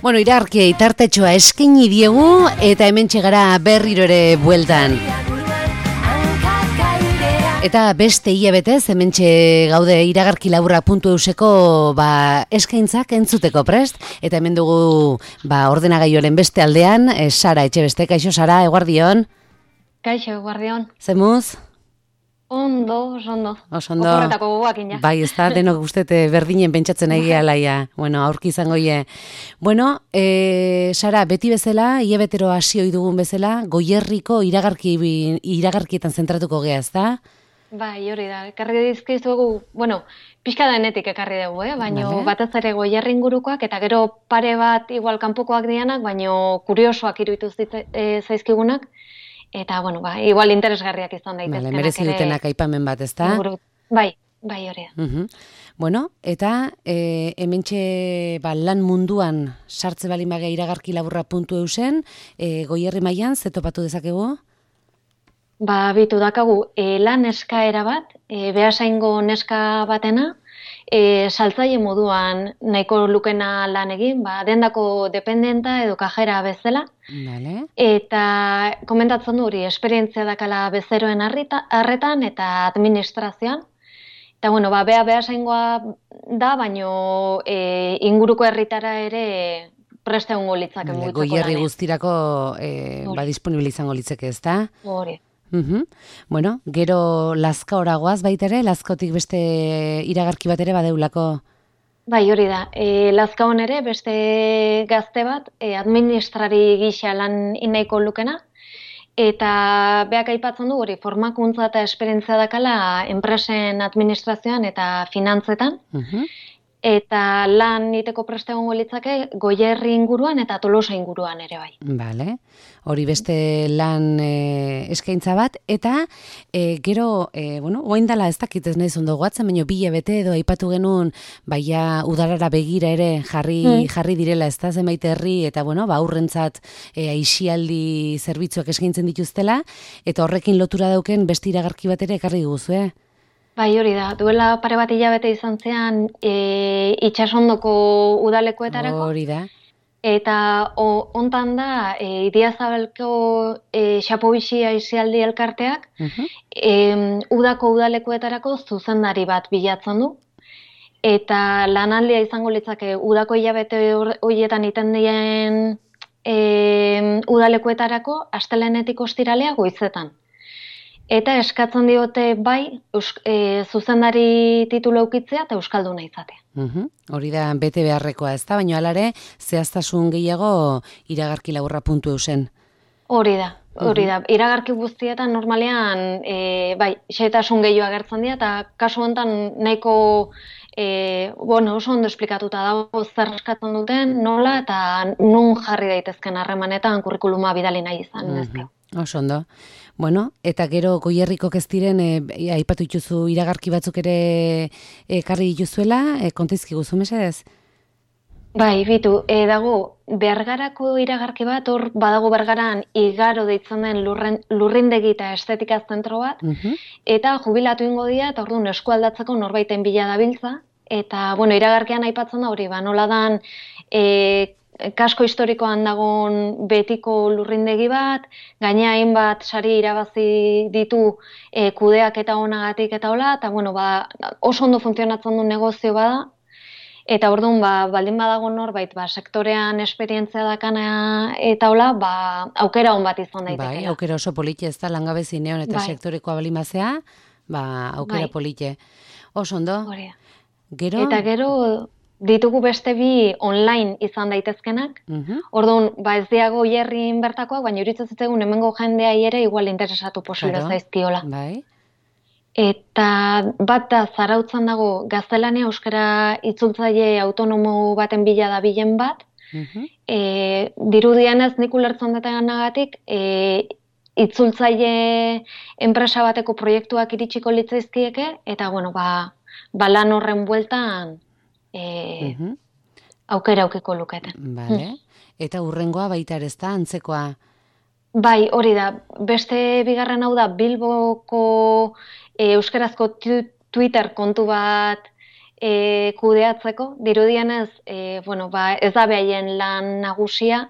Bueno, iragarkiei tartetxoa eskaini diegu eta hementxe gara berriro ere bueltan. Eta beste hilabetez hementxe gaude iragarkilaburra.euseko eskaintzak entzuteko prest. Eta hemen dugu ordenagaioaren beste aldean, Sara Etxebeste. Kaixo, Sara, eguardion? Kaixo, eguardion. Zemuz? Ondo. Oporretako gogoakin, ja. Bai, ez da, denok guztete berdinen pentsatzen egia laia. Bueno, aurki izango ie. Bueno, Sara, beti bezala, hilabetero hasi ohi dugun bezala, Goierriko iragarkietan zentratuko gea, ez da? Bai, hori da. Ekarri dizkizuegu, pixka denetik ekarri dugu, baina batez ere Goierri ingurukoak, eta gero pare bat igual kanpokoak dianak, baina kuriosoak iruditu zaizkigunak. Eta, igual interesgarriak izan daitezkenak. Merezi dutenak aipamen bat, ez da? Bai, hori da. Bueno, eta hementxe lan munduan sartze balin bagea iragarkilaburra.eusen, Goierri mailan ze topatu dezakegu? Bitu dakagu, lan eskaera bat, Beasaingo neska batena, saltzaile moduan nahiko lukena lan egin, dendako dependenta edo kajera bezala. Vale. Eta komentatzen du hori, esperientzia dakala bezeroen arretan eta administrazioan. Eta, Beasaingoa da, baino inguruko herritara ere preste egongo litzake mugitzeko lanean. Goierri guztirako disponible izango litzeke, ez da? Hori. Bueno, gero Lazkaora goaz baita ere, Lazkaotik beste iragarki bat ere badeulako? Bai, hori da. Lazkaon ere beste gazte bat, administrari gisa lan inaiko lukena, eta beak aipatzen du hori formakuntza eta esperientzia dakala enpresen administrazioan eta finantzetan, eta lan iteko preste egongo litzake Goierri inguruan eta Tolosa inguruan ere bai. Vale. Hori beste lan eskaintza bat, eta gero, oain dala ez dakit ez nahi zondo goatzen, baina 2 hilabete edo aipatu genuen, udarara begira ere jarri direla ez da zenbait herri, eta aurrentzat aisialdi zerbitzuak eskaintzen dituztela, eta horrekin lotura dauken beste iragarki bat ere ekarri dugu, Bai, hori da. Duela pare bat hilabete izan zean itsasondoko udalekuetarako. Hori da. Eta hontan da, Idiazabalko Xapobixi aisialdi elkarteak udako udalekuetarako zuzendari bat bilatzen du. Eta lanaldia izango litzake udako hilabete horietan iten dien udalekuetarako astelehenetik ostiralea goizetan. Eta eskatzen diote bai zuzendari titulu edukitzea eta euskalduna izatea. Hori da bete beharrekoa, ez da? Baina alare zehaztasun gehiago iragarkilaburra.eusen. Hori da. Iragarki guztietan normalean xehetasun gehiago agertzen dira, eta kasu honetan nahiko oso ondo esplikatuta dago zer eskatzen duten, nola eta nun jarri daitezken harremanetan kurrikuluma bidali nahi izan dezke. Oso ondo. Bueno, eta gero Goierriko ez diren aipatu dituzu iragarki batzuk ere ekarri dituzuela, kontaizki guzu mesedez? Bai, bitu, dago Bergarako iragarki bat, hor badago Bergaran igaro deitzen den lurrindegi eta estetika zentro bat, eta jubilatu ingo dira, eta orduan eskualdatzeko norbaiten bila dabiltza, eta, iragarkian aipatzen da hori, nola dan kasko historikoan dagoen betiko lurrindegi bat, gaina hainbat sari irabazi ditu kudeak eta onagatik eta hola, eta oso ondo funtzionatzen du negozio bada, eta orduan baldin badago norbait sektorean esperientzia dakana eta hola, aukera on bat izan daitekeela. Bai, aukera oso polite ez da, langabezi neon eta sektorekoa balimazea, aukera polite. Oso ondo. Eta gero ditugu beste 2 online izan daitezkenak. Orduan, ez diago Goierrin bertakoak, baina iruditzen zitzaigun hemengo jendeai ere igual interesatu posible zaizkiola. Bai. Eta bat da Zarautzan dago gaztelania euskara itzultzaile autonomo baten bila dabilen bat. Dirudienez nik ulertzen detenagatik itzultzaile enpresa bateko proiektuak iritsiko litzaizkieke, eta lan horren bueltan aukera aukiko luketen. Vale. Eta hurrengoa baita ere ez da, antzekoa? Bai, hori da. Beste bigarren hau da Bilboko euskarazko Twitter kontu bat kudeatzeko, dirudienez, ez da behaien lan nagusia,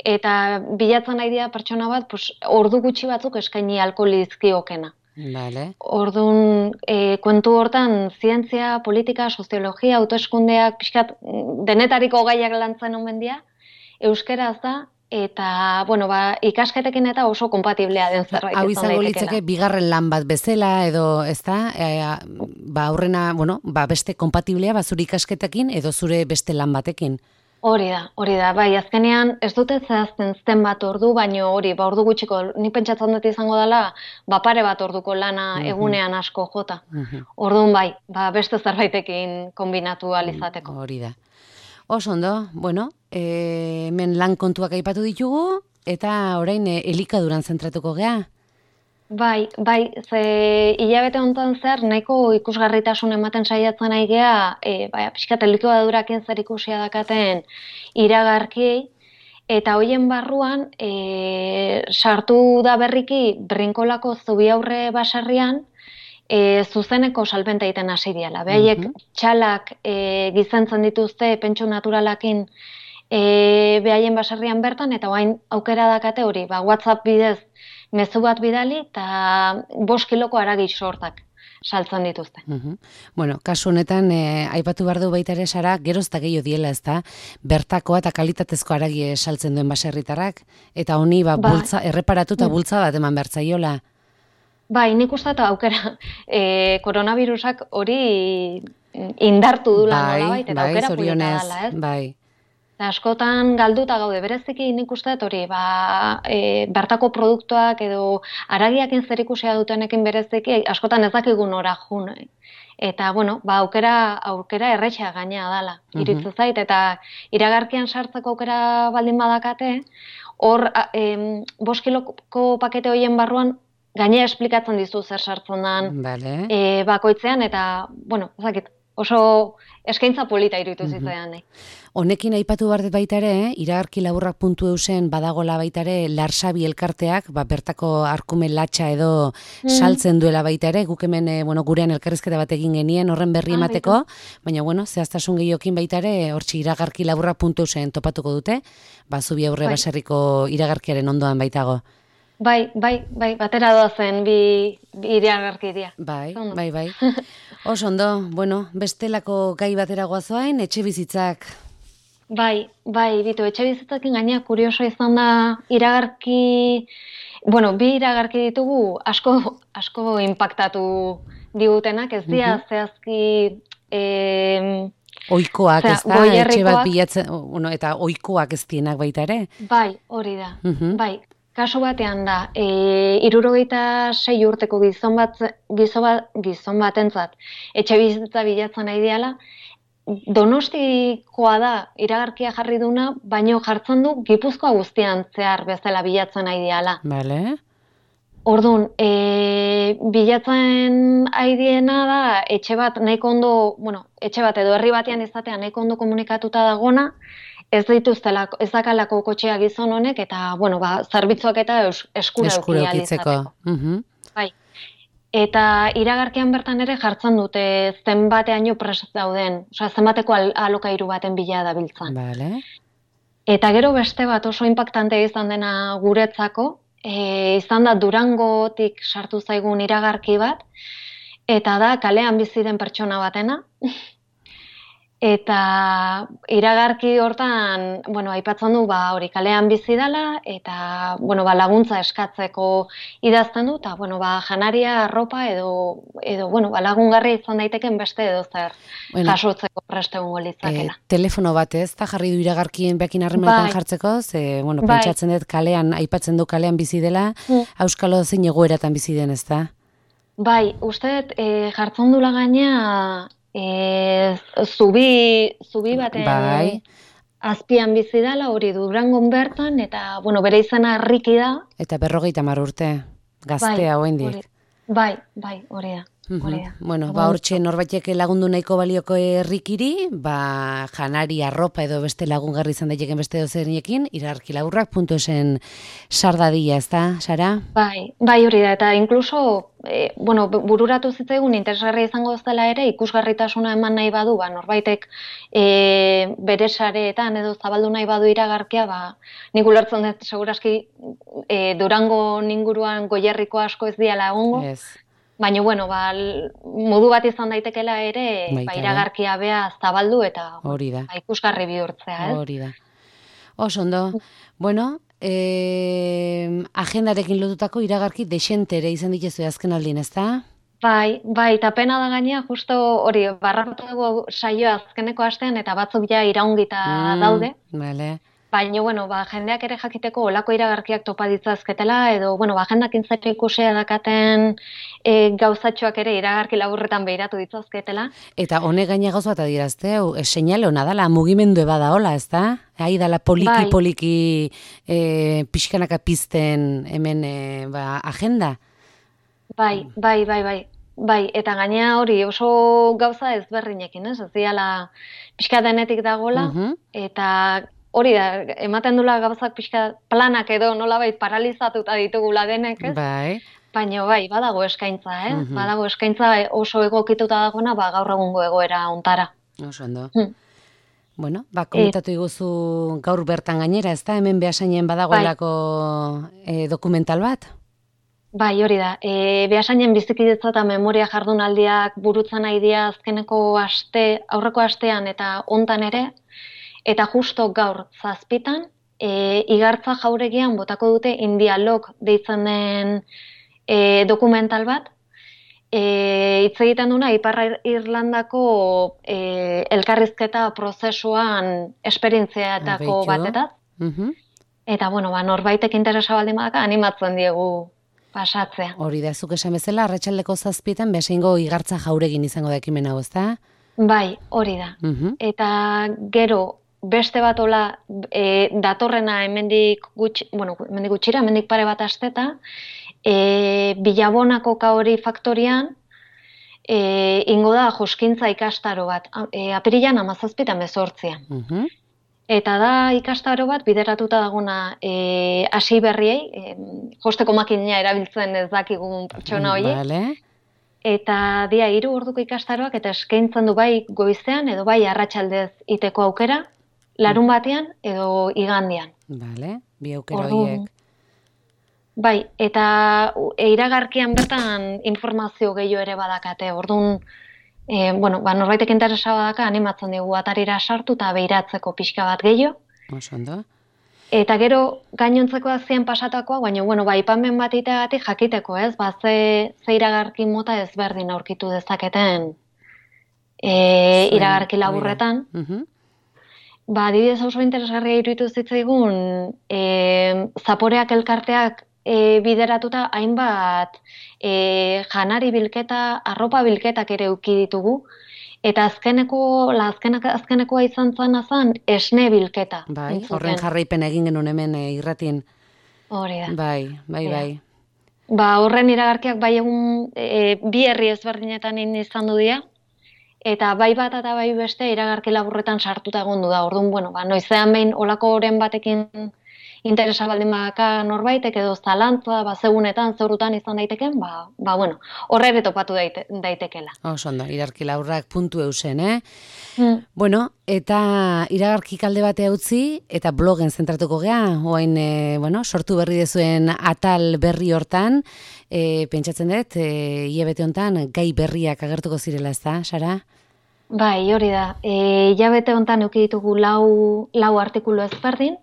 eta bilatzen nahi dira pertsona bat, ordu gutxi batzuk eskaini ahalko lizkiokena. Vale. Orduan, kontu hortan, zientzia, politika, soziologia, autoeskundeak, pixkat, denetariko gaiak lantzen omen dira, euskeraz da, eta, ikasketekin eta oso kompatiblea den zerbait izan daitekela. Hau izango litzake bigarren lan bat bezala, edo, ez da, aurrena, beste kompatiblea, zure ikasketekin, edo zure beste lan batekin. Hori da, bai, azkenean ez dute zehazten zen bat ordu, baino hori, ordu gutxiko, ni pentsatzen dut izango dela, pare bat orduko lana egunean asko jota. Orduan bai, beste zerbaitekin kombinatu alizateko. Hori da. Oso ondo, hemen lan kontuak aipatu ditugu, eta orain elikaduran zentratuko gea. Bai, ze hilabete honetan zer, nahiko ikusgarritasun ematen saiatzen nahi gea, pixkat elikadurakin zer ikusia dakaten iragarkiei, eta hoien barruan sartu da berriki Brinkolako Zubiaurre baserrian zuzeneko salbenta egiten hasi diala. Behaiek txalak gizentzen dituzte pentsu naturalakin behaien baserrian bertan, eta orain aukera dakate hori, WhatsApp bidez mezu bat bidali eta 5 kiloko haragi sortak saltzen dituzte. Kasu honetan, aipatu behar du baita ere Sara, geroz eta gehiago diela, ez da, bertakoa eta kalitatezko haragi saltzen duen baserritarrak, eta honi erreparatu eta bultza bat eman bertzaiola. Bai, nik uste eta aukera, koronavirusak hori indartu dula nolabait, eta aukera polita dela, ez? Bai. Askotan galduta gaude, bereziki nik uste hori, bertako produktuak edo haragiakin zer ikusia dutenekin bereziki, askotan ez dakigun ora jun. Eta, aukera erretxea gainea dala, iritzu zait, eta iragarkian sartzeko aukera baldin badakate, hor 5 kiloko pakete horien barruan, gainea esplikatzen dizu zer sartzen den bakoitzean, eta, oso eskaintza polita iruditu zitzaidan. Honekin aipatu behar dut baita ere, iragarkilaburrak.eusen badagola baita ere Larsabi elkarteak, bertako arkume latxa edo saltzen duela baita ere, guk hemen gurean elkarrizketa bat egin genien horren berri emateko, baina zehaztasun gehiokin baita ere, hortxe iragarkilaburrak.eusen topatuko dute, Zubiaurre baserriko iragarkiaren ondoan baitago. Bai, batera doazen bi iragarki dira. Bai. Oso ondo, bestelako gai batera goazoain, etxe bizitzak. Bai, bitu, etxe bizitzakin gaina kurioso izan da iragarki, bi iragarki ditugu asko impactatu digutenak, ez dira zehazki oikoak, ez da, etxe bat bilatzen, eta oikoak ez dienak baita ere? Bai, hori da, bai. Kasu batean da, 76 urteko gizon batentzat etxe bizitza bilatzen nahi diala, Donostikoa da iragarkia jarri duna, baino jartzen du Gipuzkoa guztian zehar bezala bilatzen nahi diala. Bale. Orduan, bilatzen nahi diena da, etxe bat nahiko ondo, etxe bat edo herri batean izatea nahiko ondo komunikatuta dagona, ez dakalako kotxea gizon honek, eta, zerbitzuak eta eskura eukitzeko. Bai. Eta iragarkian bertan ere jartzen dute zenbateaino prest dauden, zenbateko alokairu baten bila dabiltzan. Vale. Eta gero beste bat oso impactante izan dena guretzako, izan da Durangotik sartu zaigun iragarki bat, eta da kalean bizi den pertsona batena. Eta iragarki hortan, aipatzen du, hori kalean bizi dela, eta, laguntza eskatzeko idazten du, eta, janaria, arropa, edo lagungarri izan daiteken beste edo zer jasotzeko preste egongo litzakela. Telefono bat ez, eta jarri du iragarkien bekin harremanetan jartzeko, ze, pentsatzen dut kalean, aipatzen du kalean bizi dela, auskalo zein egoeratan bizi den, ez da? Bai, uste, jartzen dula gaina, zubi baten azpian bizi dela, hori Durangon bertan, eta, bere izena Riki da. Eta 50 urte, gaztea hoendik. Bai, hori da. Bueno, hortxe norbaitek lagundu nahiko balioko herrikiri, janari arropa edo beste lagungarri izan daiteken beste dozerinekin, iragarkilaburrak.esen sardadia, ez da, Sara? Bai, hori da, eta inkluso, bururatu zitzaigun interesgarria izango zela ere, ikusgarritasuna eman nahi badu, norbaitek bere sareetan edo zabaldu nahi badu iragarkia, nik ulertzen dut, seguraski Durango inguruan Goierriko asko ez diala egongo. Baina, modu bat izan daitekela ere, iragarkia bea zabaldu eta ikusgarri bihurtzea, ez? Hori da. Ondo. Bueno, agendarekin lotutako iragarki dexentere izan ditezu azken aldin, ez da? Bai, eta pena da gainea, justo hori, barratu dugu saioa azkeneko astean eta batzuk ja iraungita daude. Bale. Baina, jendeak ere jakiteko olako iragarkiak topa ditzazketela, edo, agendakin zer ikusea dakaten gauzatxoak ere iragarki laburretan behiratu ditzazketela. Eta honek gaina gauza bat adirazte, seinale hona dala, mugimendu bada hola, ez da? Hai dala poliki pixkanaka pizten hemen agenda? Bai, eta gainea hori oso gauza ezberdinekin, ez? Ez diala pixka denetik dagola, eta hori da, ematen dula gauzak pixka planak edo nolabait paralizatuta ditugula denek, ez? Bai. Baina badago eskaintza, Badago eskaintza oso egokituta dagona, gaur egungo egoera ontara. Oso ondo. Bueno, komentatu iguzu gaur bertan gainera, ez da? Hemen Beasainen badagoelako dokumental bat? Bai, hori da. Beasainen bizikidetza eta memoria jardunaldiak burutzen nahi dira azkeneko aurreko astean eta hontan ere, eta justo gaur 7:00 Igartza jauregian botako dute Indialog deitzen den dokumental bat. Hitz egiten duna Ipar Irlandako elkarrizketa prozesuan esperientziatako batetaz. Eta, norbaitek interesa baldin badaka animatzen diegu pasatzea. Hori da, zuk esan bezala, arratsaldeko 7:00 Beasaingo Igartza jauregin izango da ekimen hau, ezta? Bai, hori da. Eta gero, beste bat hola datorrena hemendik gutxira, hemendik pare bat asteta, Bilabonako Kaori faktorian ingo da joskintza ikastaro bat, apirilan 17 eta 18. Eta da ikastaro bat bideratuta daguna hasi berriei, josteko makina erabiltzen ez dakigun pertsona horiek. Vale. Eta dia 3 orduko ikastaroak eta eskaintzen du bai goizean edo bai arratsaldez iteko aukera, larun batean edo igandean. Vale, bi aukera horiek. Bai, eta iragarkian bertan informazio gehiago ere badakate. Orduan, norbaitek interesa badaka animatzen dugu atarira sartu eta behiratzeko pixka bat gehiago. Oso ondo. Eta gero gainontzeko azien pasatakoa, baina aipamen bat iteagatik jakiteko, ez? Ze iragarki mota ezberdin aurkitu dezaketen iragarki laburretan. Adibidez oso interesgarria iruditu zitzaigun, Zaporeak elkarteak bideratuta hainbat janari bilketa, arropa bilketak ere eduki ditugu, eta azkenekoa izan zen esne bilketa. Bai, horren jarraipen egin genuen hemen irratin. Hori da. Bai. Horren iragarkiak bai egun bi herri ezberdinetan izan du dira, eta bai bat eta bai beste iragarki laburretan sartuta egondu da. Orduan, noizean behin olako oren batekin interesa baldin badaka norbaitek edo zalantza, zegunetan, zeurutan izan daiteken, horre ere topatu daitekela. Oso ondo, iragarkilaburrak.eusen, Bueno, eta iragarki kalde batea utzi, eta blogen zentratuko gea, oain, sortu berri dezuen atal berri hortan, pentsatzen dut, hilabete hontan gai berriak agertuko zirela, ez da, Sara? Bai, hori da. Hilabete hontan eduki ditugu lau artikulu ezberdin.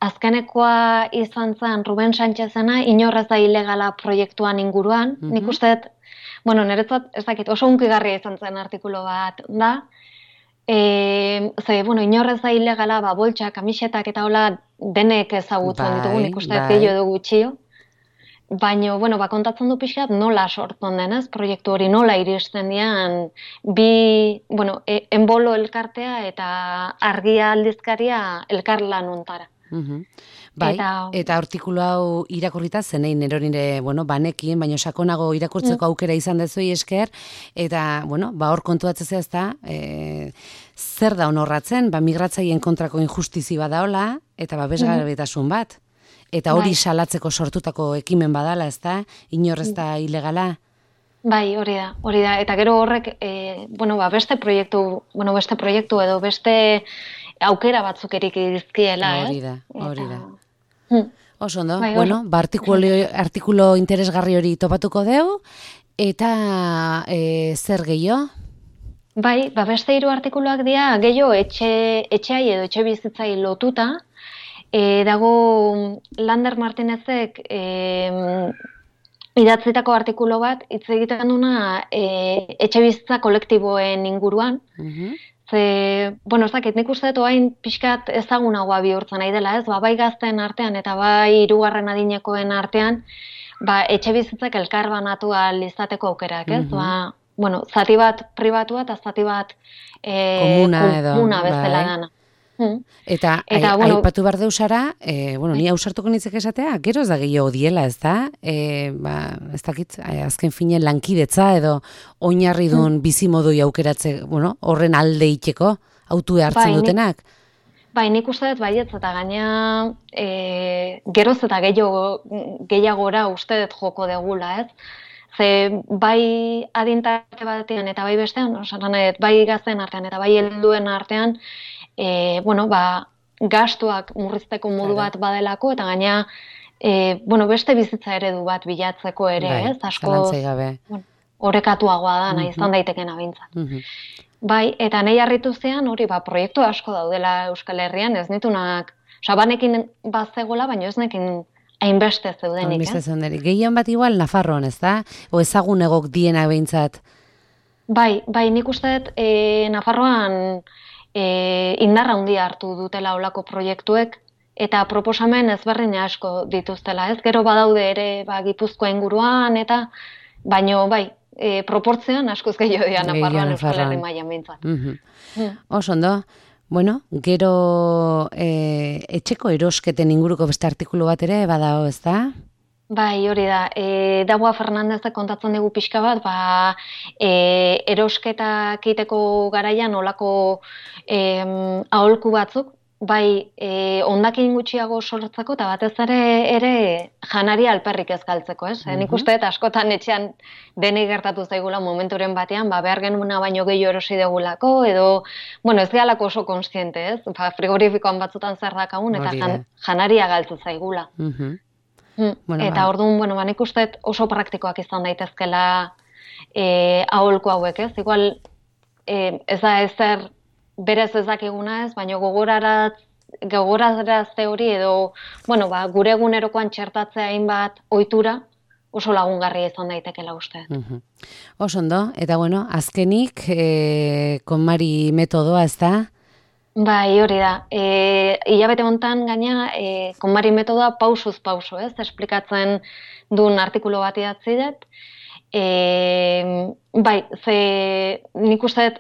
Azkenekoa izan zen Ruben Sánchezena, inorrez da ilegala proiektuan inguruan. Nik uste, niretzat, ez dakit, oso hunkigarria izan zen artikulu bat da. Inorrez da ilegala, boltsak, kamisetak eta hola denek ezagutzen ditugu, nik uste gehiago edo gutxio. Baina, kontatzen du pixkat nola sortzen denez, proiektu hori nola iristen dian bi, Enbolo elkartea eta Argia aldizkaria elkarlan ontara. Bai, eta artikulu hau irakurrita zenein eronire, banekin, baina sakonago irakurtzeko aukera izan dezui esker, eta, hor kontuatzea ez da, zer da honorratzen, migratzaien kontrako injustizi badaola, eta babesgabetasun bat. Eta hori salatzeko sortutako ekimen badala, ez da, inor ez da ilegala. Bai, hori da, eta gero horrek, beste proiektu edo beste aukera batzuk erik dizkiela, Hori da. Oso ondo, artikulo interesgarri hori topatuko deu, eta zer gehiago? Bai, beste 3 artikuluak dira gehiago etxeai edo etxe bizitzai lotuta, dago Lander Martinezek idatzitako artikulu bat, hitz egiten duna etxe bizitza kolektiboen inguruan, ez dakit, nik uste dut oain pixkat ezagunagoa bihurtzen nahi dela, ez? Bai gazten artean eta bai 3. adinekoen artean, etxe bizitzak elkarbanatu ahal izateko aukerak, ez? Zati bat pribatua eta zati bat komuna bezala dana. Eta aipatu behar deusara, ni ausartuko nintzek esatea, gero ez da gehiago diela, ez da? Ez dakit, azken finen lankidetza edo oinarri duen bizimodoi aukeratze, horren alde iteko, autue hartzen dutenak? Bai, nik uste dut baietz, eta gaina geroz eta gehiagora uste dut joko degula, ez? Ze bai adintarte batean eta bai bestean, bai gazten artean eta bai helduen artean, gastuak murrizteko modu bat badelako, eta gaina, beste bizitza eredu bat bilatzeko ere, ez? Asko orekatuagoa da, nahi izan daitekena bintzat. Bai, eta nahi harritu zean, hori, proiektu asko daudela Euskal Herrian, ez nitunak, banekin bazegola, baina ez nekin hainbeste zeudenik, Gehien bat igual Nafarroan, ez da? O ezagun egok dienak behintzat? Bai, nik uste dut Nafarroan indarra handia hartu dutela olako proiektuek, eta proposamen ezberdin asko dituztela, ez? Gero badaude ere Gipuzkoa inguruan, eta baino proportzioan askoz gehiago dira Nafarroan Euskal Herri mailan behintzat. Oso ondo. Gero etxeko erosketen inguruko beste artikulu bat ere badao, ez da? Bai, hori da. Dagoa Fernandezek kontatzen dugu pixka bat, erosketak egiteko garaian olako aholku batzuk, bai hondakin gutxiago sortzeko eta batez ere janari alperrik ez galtzeko, ez? Nik uste eta askotan etxean denei gertatu zaigula momenturen batean, behar genuna baino gehiago erosi degulako, edo, ez gehalako oso konstiente, ez? Frigorifikoan batzutan zer dakagun, eta janaria galtzu zaigula. Eta orduan, nik uste oso praktikoak izan daitezkela aholku hauek, ez? Igual, ez da ezer berez ezakiguna ez, baina gogorarazte hori edo, gure egunerokoan txertatzea hainbat ohitura oso lagungarria izan daitekela uste. Oso ondo, eta azkenik, KonMari metodoa, ez da? Bai, hori da. Hilabete hontan gaina, KonMari metodoa pausuz pauso, ez? Esplikatzen duen artikulu bat idatzi dut. Bai, ze nik uste dut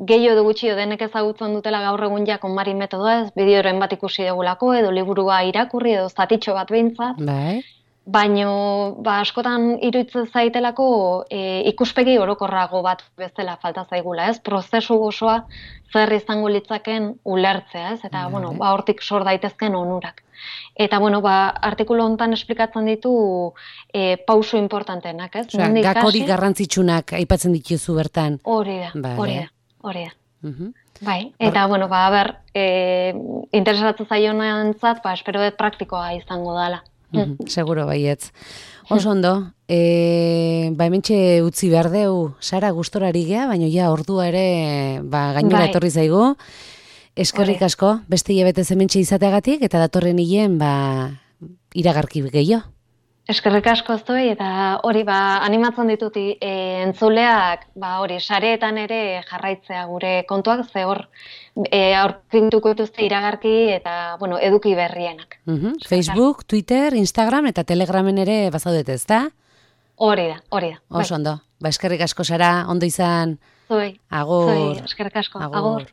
gehiago edo gutxio denek ezagutzen dutela gaur egun KonMari metodoa, ez bideoren bat ikusi degulako, edo liburua irakurri, edo zatitxo bat behintzat. Bai. Baina askotan iruditzen zaitelako ikuspegi orokorrago bat bezala falta zaigula, ez? Prozesu osoa zer izango litzaken ulertzea, ez? Eta, hortik sor daitezken onurak. Eta, artikulu honetan esplikatzen ditu pauso importantenak, ez? Gakori garrantzitsunak aipatzen dituzu bertan. Hori da. Bai, eta, interesatu zaionantzat, espero dut praktikoa izango dela. Seguro baietz. Oso ondo, hementxe utzi behar deu, Sara, gustorari gea, baina ordua ere gainera etorri zaigu. Eskerrik asko, beste hilabete hementxe izateagatik, eta datorren hilen iragarki gehiago. Eskerrik asko zuei, eta hori animatzen ditut entzuleak sareetan ere jarraitzea gure kontuak, ze hor aurkituko dituzte iragarki eta eduki berrienak. Facebook, Twitter, Instagram eta Telegramen ere bazaudet, ez da? Hori da. Oso ondo, eskerrik asko, Sara, ondo izan. Zuei, agur. Eskerrik asko, agur.